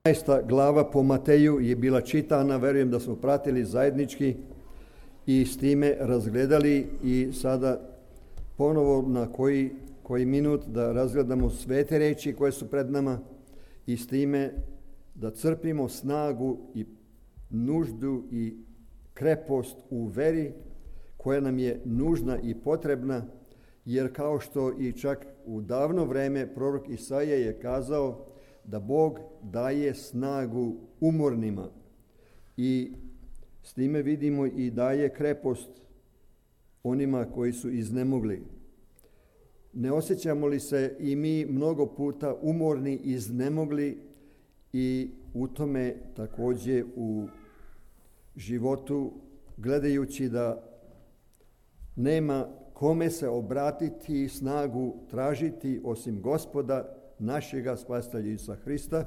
15. glava po Mateju je bila čitana, verujem da smo pratili zajednički i s time razgledali i sada ponovo na koji minut da razgledamo sve te reči koje su pred nama i s time da crpimo snagu i nuždu i krepost u veri koja nam je nužna i potrebna, jer kao što i čak u davno vreme prorok Isaija je kazao da Bog daje snagu umornima i s time vidimo i daje krepost onima koji su iznemogli. Ne osjećamo li se i mi mnogo puta umorni, iznemogli i u tome također u životu gledajući da nema kome se obratiti i snagu tražiti osim Gospoda našega spasitelja Isusa Hrista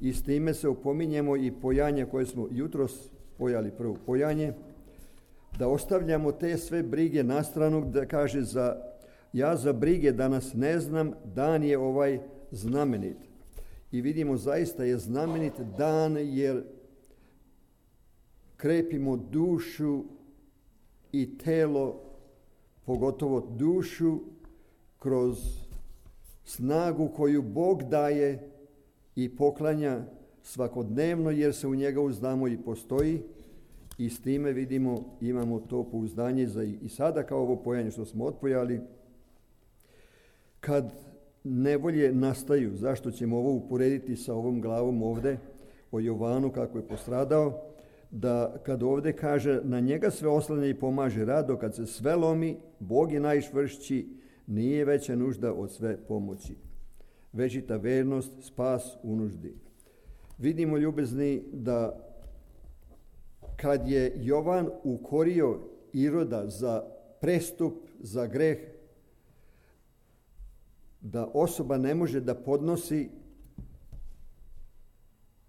i s time se upominjemo i pojanje koje smo jutros pojali, prvo pojanje, da ostavljamo te sve brige na stranu, da kaže ja za brige danas ne znam, dan je ovaj znamenit. I vidimo zaista je znamenit dan jer krepimo dušu i telo, pogotovo dušu, kroz snagu koju Bog daje i poklanja svakodnevno jer se u njega uzdamo i postoji i s time vidimo imamo to pouzdanje i sada kao ovo pojanje što smo otpojali. Kad nevolje nastaju, zašto ćemo ovo uporediti sa ovom glavom ovde o Jovanu kako je postradao, da kad ovde kaže na njega sve oslanja i pomaže rado, kad se sve lomi, Bog je najčvršći, nije veća nužda od sve pomoći. Večita vernost, spas u nuždi. Vidimo, ljubezni, da kad je Jovan ukorio Iroda za prestup, za greh, da osoba ne može da podnosi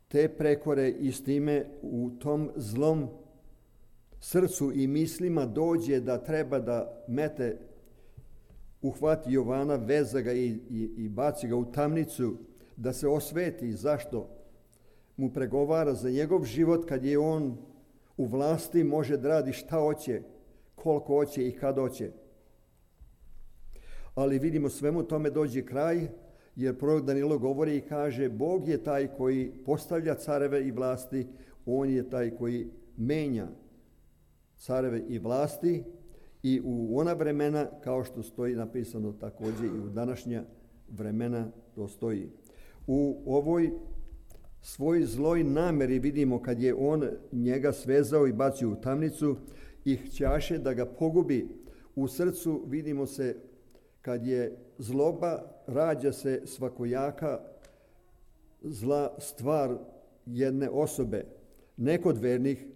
te prekore i s time u tom zlom srcu i mislima dođe da treba da mete, uhvati Jovana, veza ga i baci ga u tamnicu, da se osveti. Zašto? Mu pregovara za njegov život kad je on u vlasti, može da radi šta hoće, koliko hoće i kad hoće. Ali vidimo svemu tome dođe kraj, jer prorok Danilo govori i kaže Bog je taj koji postavlja careve i vlasti, on je taj koji menja careve i vlasti i u ona vremena, kao što stoji napisano također i u današnja vremena to stoji. U ovoj svoj zloj nameri vidimo kad je on njega svezao i bacio u tamnicu i hćaše da ga pogubi. U srcu vidimo se kad je zloba, rađa se svakojaka zla stvar jedne osobe, ne kod vernih,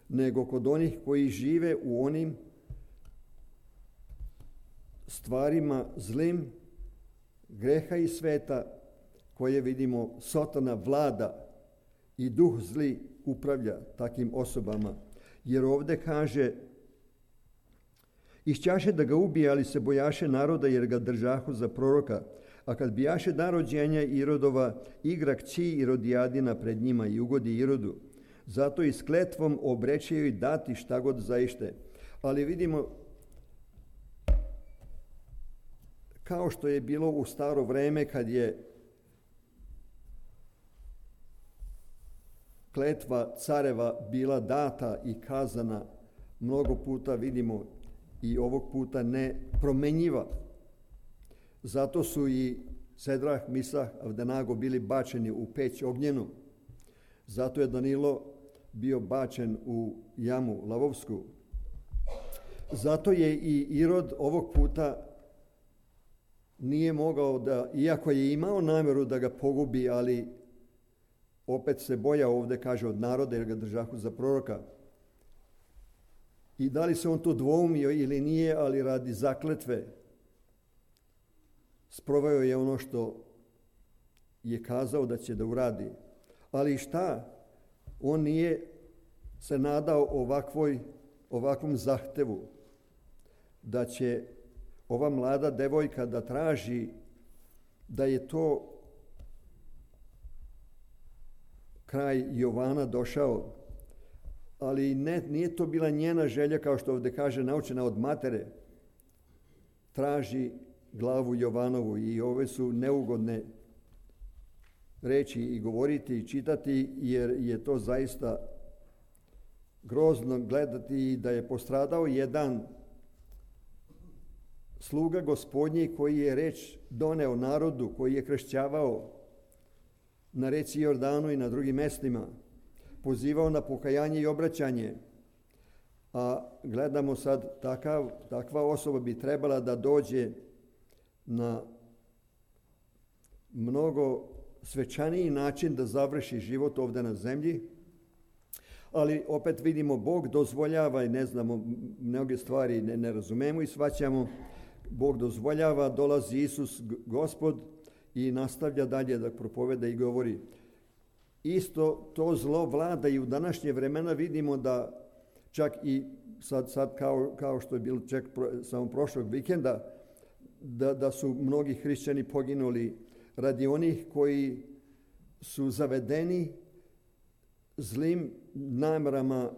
nego kod onih koji žive u onim stvarima zlim, greha i sveta, koje vidimo Satana vlada i duh zli upravlja takim osobama. Jer ovdje kaže išćaše da ga ubije, ali se bojaše naroda jer ga držahu za proroka. A kad bijaše dan rođenja Irodova, igra kći Irodijadina pred njima i ugodi Irodu. Zato i s kletvom obreće joj dati šta god zaište. Ali vidimo, kao što je bilo u staro vreme kad je kletva careva bila data i kazana, mnogo puta vidimo i ovog puta ne promenjiva. Zato su i Sedrah, Misah, Avdenago bili bačeni u peć ognjenu. Zato je Danilo bio bačen u jamu lavovsku. Zato je i Irod ovog puta nije mogao da, iako je imao namjeru da ga pogubi, ali opet se bojao, ovdje kaže, od naroda jer ga držahu za proroka. I da li se on to dvoumio ili nije, ali radi zakletve sproveo je ono što je kazao da će da uradi. Ali šta? On nije se nadao ovakvom zahtevu da će ova mlada devojka da traži da je to kraj Jovana došao, ali nije to bila njena želja, kao što ovdje kaže, naučena od matere. Traži glavu Jovanovu i ove su neugodne reći i govoriti i čitati, jer je to zaista grozno gledati da je postradao jedan sluga Gospodnji koji je reč doneo narodu, koji je kršćavao na reci Jordanu i na drugim mjestima, pozivao na pokajanje i obraćanje. A gledamo sad, takva osoba bi trebala da dođe na mnogo svečaniji način da završi život ovdje na zemlji, ali opet vidimo Bog dozvoljava i ne znamo, mnoge stvari ne razumemo i shvaćamo. Bog dozvoljava, dolazi Isus Gospod i nastavlja dalje da propoveda i govori. Isto to zlo vlada i u današnje vremena. Vidimo da čak i sad kao što je bilo čak samo prošlog vikenda, da su mnogi hrišćani poginuli radi onih koji su zavedeni zlim namjerama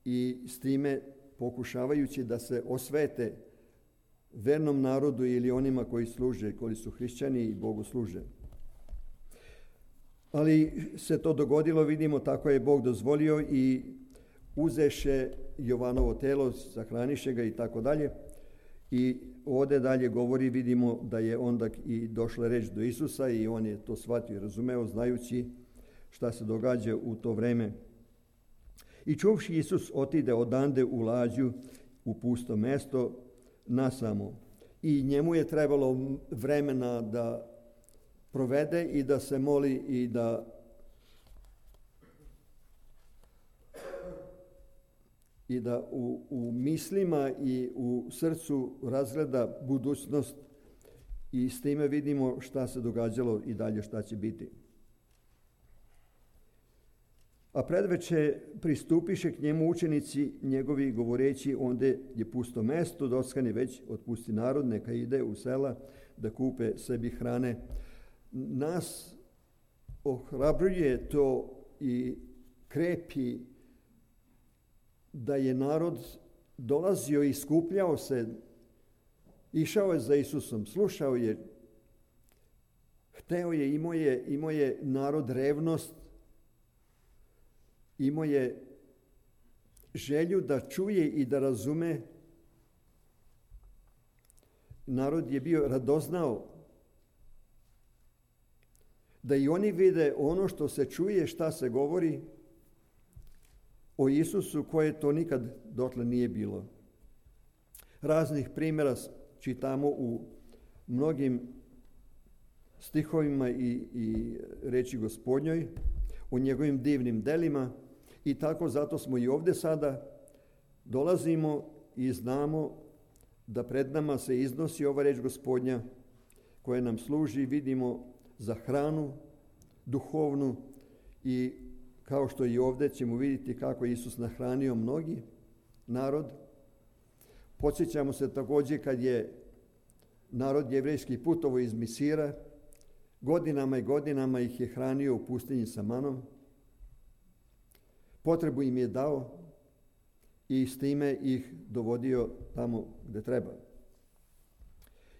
i s time pokušavajući da se osvete vernom narodu ili onima koji služe, koji su hrišćani i Bogu služe. Ali se to dogodilo, vidimo, tako je Bog dozvolio i uzeše Jovanovo telo, sahraniše ga i tako dalje. I ovdje dalje govori, vidimo da je onda i došla reč do Isusa i on je to shvatio i razumeo, znajući šta se događa u to vreme. I čuvši Isus otide odande u lađu u pusto mesto nasamo. I njemu je trebalo vremena da provede i da se moli i da u mislima i u srcu razgleda budućnost i s time vidimo šta se događalo i dalje šta će biti. A predveče pristupiše k njemu učenici njegovi govoreći, ondje je pusto mesto, doskani već otpusti narod, neka ide u sela da kupe sebi hrane. Nas ohrabruje to i krepi da je narod dolazio i skupljao se, išao je za Isusom, slušao je, hteo je, imao je narod revnost, imao je želju da čuje i da razume. Narod je bio radoznao da i oni vide ono što se čuje, šta se govori o Isusu, koje to nikad dotle nije bilo. Raznih primjera čitamo u mnogim stihovima i reči Gospodnjoj, o njegovim divnim delima i tako zato smo i ovdje sada dolazimo i znamo da pred nama se iznosi ova reč Gospodnja koja nam služi, vidimo, za hranu duhovnu i kao što i ovdje ćemo vidjeti kako je Isus nahranio mnogi narod. Podsjećamo se također kad je narod jevrejski putovao iz Misira, godinama i godinama ih je hranio u pustinji sa manom. Potrebu im je dao i s time ih dovodio tamo gdje treba.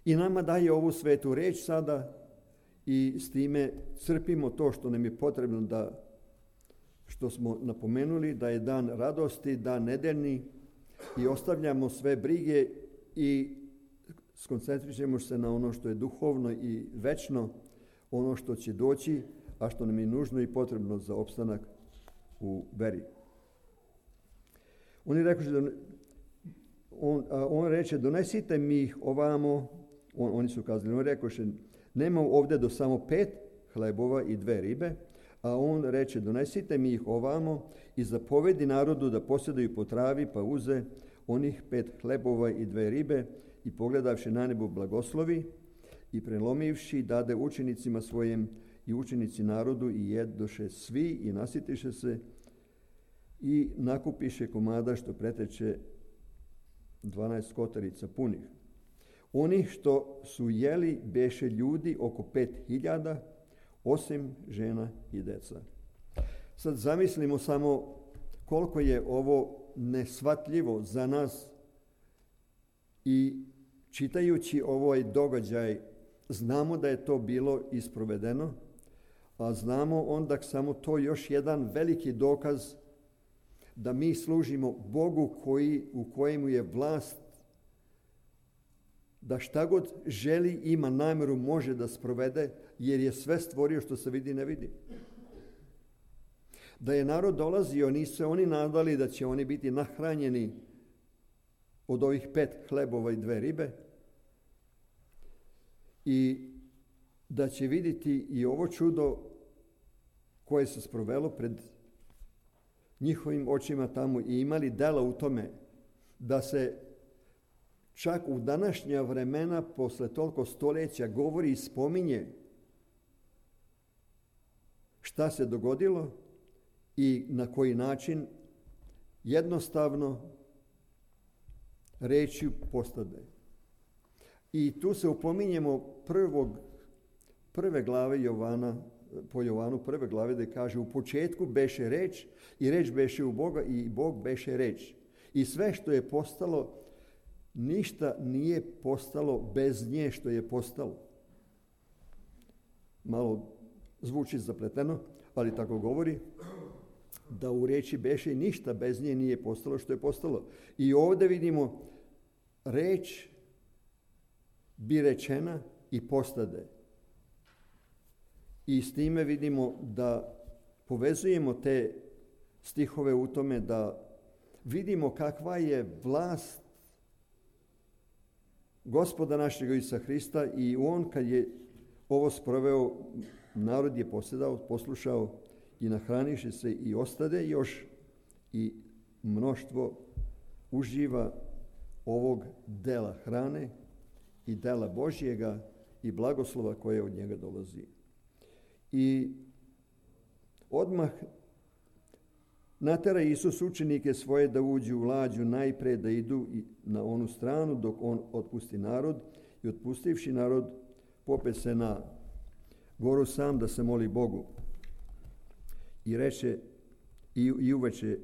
I nama daje ovu svetu reč sada i s time crpimo to što nam je potrebno, da što smo napomenuli, da je dan radosti, dan nedeljni i ostavljamo sve brige i skoncentrišemo se na ono što je duhovno i večno, ono što će doći, a što nam je nužno i potrebno za opstanak u veri. On reče, donesite mi ih ovamo, oni su kazali, on rekoše, nema ovdje do samo 5 hlebova i 2 ribe, a on reče, donesite mi ih ovamo i zapovedi narodu da posjedaju po travi, pa uze onih 5 hlebova i 2 ribe i pogledavši na nebo blagoslovi i prelomivši dade učenicima svojim i učenici narodu i jedoše svi i nasitiše se i nakupiše komada što preteče 12 kotarica punih. Oni što su jeli beše ljudi oko 5.000, osim žena i deca. Sad zamislimo samo koliko je ovo neshvatljivo za nas i čitajući ovaj događaj znamo da je to bilo isprovedeno, a znamo onda samo to još jedan veliki dokaz da mi služimo Bogu u kojemu je vlast da šta god želi, ima namjeru, može da sprovede, jer je sve stvorio što se vidi ne vidi. Da je narod dolazio, nisu se oni nadali da će oni biti nahranjeni od ovih 5 hlebova i 2 ribe i da će vidjeti i ovo čudo koje se sprovelo pred njihovim očima tamo i imali dela u tome da se čak u današnja vremena posle toliko stoljeća govori i spominje šta se dogodilo i na koji način jednostavno rečju postade. I tu se upominjemo prve glave Jovana, po Jovanu prve glave da kaže u početku beše reč i reč beše u Boga i Bog beše reč. I sve što je postalo, ništa nije postalo bez nje što je postalo. Malo zvuči zapleteno, ali tako govori da u reči beše ništa bez nje nije postalo što je postalo. I ovdje vidimo reč bi rečena i postade. I s time vidimo da povezujemo te stihove u tome da vidimo kakva je vlast Gospoda našeg Isusa Hrista i on kad je ovo sproveo, narod je poslušao i nahraniše se i ostade još i mnoštvo uživa ovog dela hrane i dela Božjega i blagoslova koje od njega dolazi. I odmah natera Isus učenike svoje da uđu u lađu najpre da idu na onu stranu dok on otpusti narod i otpustivši narod pope se na goru sam da se moli Bogu. I reče i uveče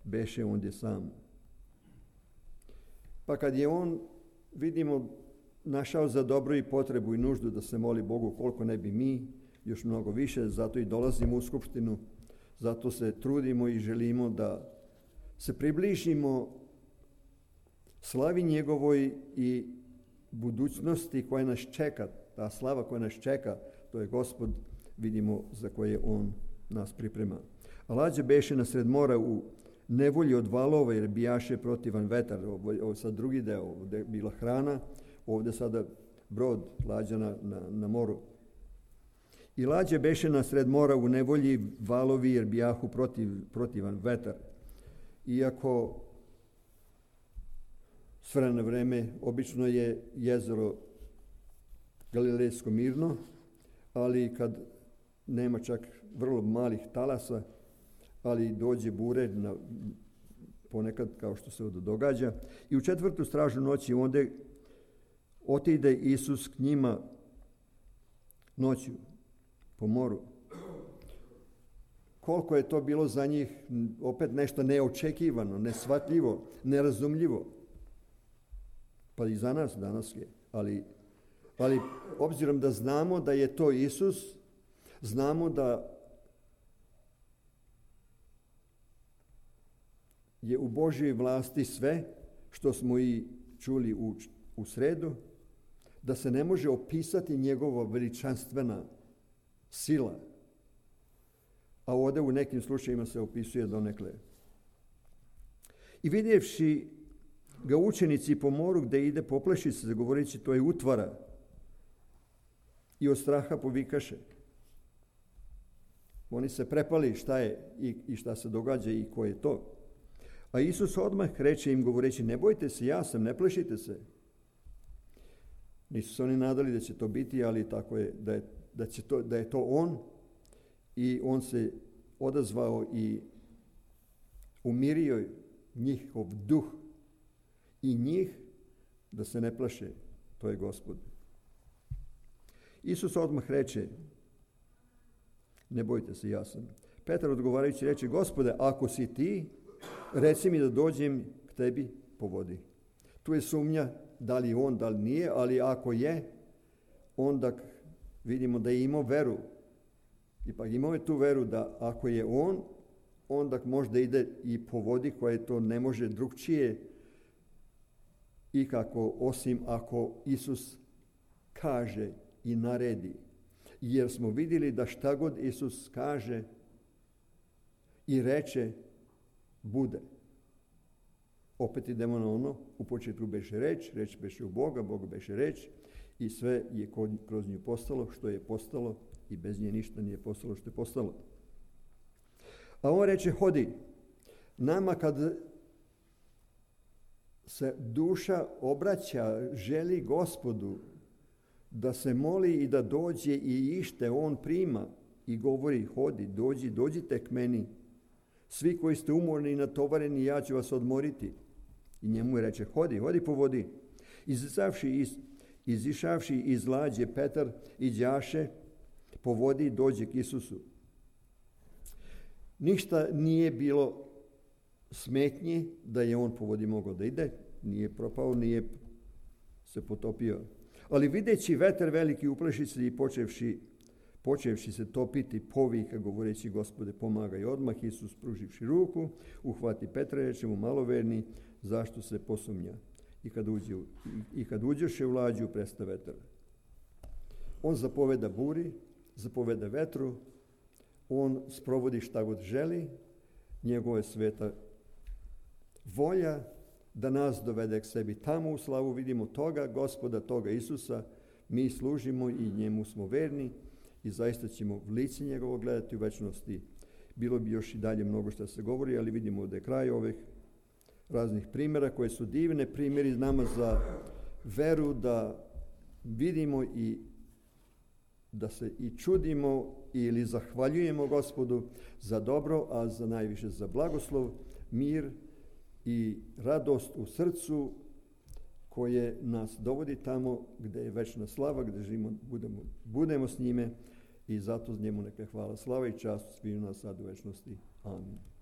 beše ondje sam. Pa kad je on, vidimo, našao za dobro i potrebu i nuždu da se moli Bogu, koliko ne bi mi, još mnogo više, zato i dolazimo u skupštinu, zato se trudimo i želimo da se približimo slavi njegovoj i budućnosti koja nas čeka, ta slava koja nas čeka, to je Gospod, vidimo, za koje on nas priprema. A lađa beše na sred mora u nevolji od valova jer bijaše protivan vetar. Ovo sad drugi deo, ovdje je bila hrana, ovdje sada brod, lađa na moru. I lađa beše na sred mora u nevolji valovi jer bijahu protivan vetar. Iako s vremena na vreme obično je jezero Galilejsko mirno, ali kad nema čak vrlo malih talasa, ali dođe bure ponekad kao što se ovdje događa. I u 4. stražu noći onda otide Isus k njima noću po moru. Koliko je to bilo za njih opet nešto neočekivano, neshvatljivo, nerazumljivo. Pa i za nas danas je. Ali obzirom da znamo da je to Isus, znamo da je u Božjoj vlasti sve što smo i čuli u sredu, da se ne može opisati njegova veličanstvena sila. A ovdje u nekim slučajima se opisuje donekle. I vidjevši ga učenici po moru gdje ide popleši se, govoreći to je utvara, i od straha povikaše. Oni se prepali šta je i šta se događa i ko je to. A Isus odmah reče im govoreći, ne bojte se, ja sam, ne plešite se. Nisu se oni nadali da će to biti, ali tako je, da je to on. I on se odazvao i umirio njihov duh i njih da se ne plaše, to je Gospod. Isus odmah reče, ne bojte se, ja sam. Petar odgovarajući reče, Gospode, ako si ti, reci mi da dođem k tebi po vodi. Tu je sumnja da li on, da li nije, ali ako je, onda vidimo da je imao veru. Ipak imao je tu veru da ako je on, onda možda ide i po vodi koje to ne može drugčije i kako, osim ako Isus kaže i naredi. Jer smo vidjeli da šta god Isus kaže i reče, bude. Opet idemo na ono, u početku beše reč, reč beše u Boga, Bog beše reč i sve je kroz nju postalo što je postalo i bez nje ništa nije postalo što je postalo. A on reče, hodi. Nama kad se duša obraća, želi Gospodu da se moli i da dođe i ište, on prima i govori, hodi, dođite k meni. Svi koji ste umorni i natovareni, ja ću vas odmoriti. I njemu je reče, hodi po vodi. Izišavši iz lađe, Petar iđaše po vodi, dođe k Isusu. Ništa nije bilo smetnje da je on po vodi mogao da ide, nije propao, nije se potopio. Ali videći vetar veliki upleši se i počevši se topiti, povika govoreći, Gospode, pomagaj. Odmah Isus, pruživši ruku, uhvati Petra i reče mu, maloverni, zašto se posumnja? I kad uđeše u lađu, presta vetar. On zapoveda buri, zapoveda vetru, on sprovodi šta god želi, njegova je sveta volja da nas dovede k sebi tamo u slavu. Vidimo toga Gospoda, toga Isusa, mi služimo i njemu smo verni i zaista ćemo v lice njegovo gledati u večnosti. Bilo bi još i dalje mnogo što se govori, ali vidimo da je kraj ovih raznih primjera koje su divne primjeri nama za veru, da vidimo i da se i čudimo ili zahvaljujemo Gospodu za dobro, a za najviše za blagoslov, mir i radost u srcu koje nas dovodi tamo gdje je večna slava, gdje živimo, budemo s njime i zato njemu neka hvala, slava i čast svima nas sad u večnosti. Amin.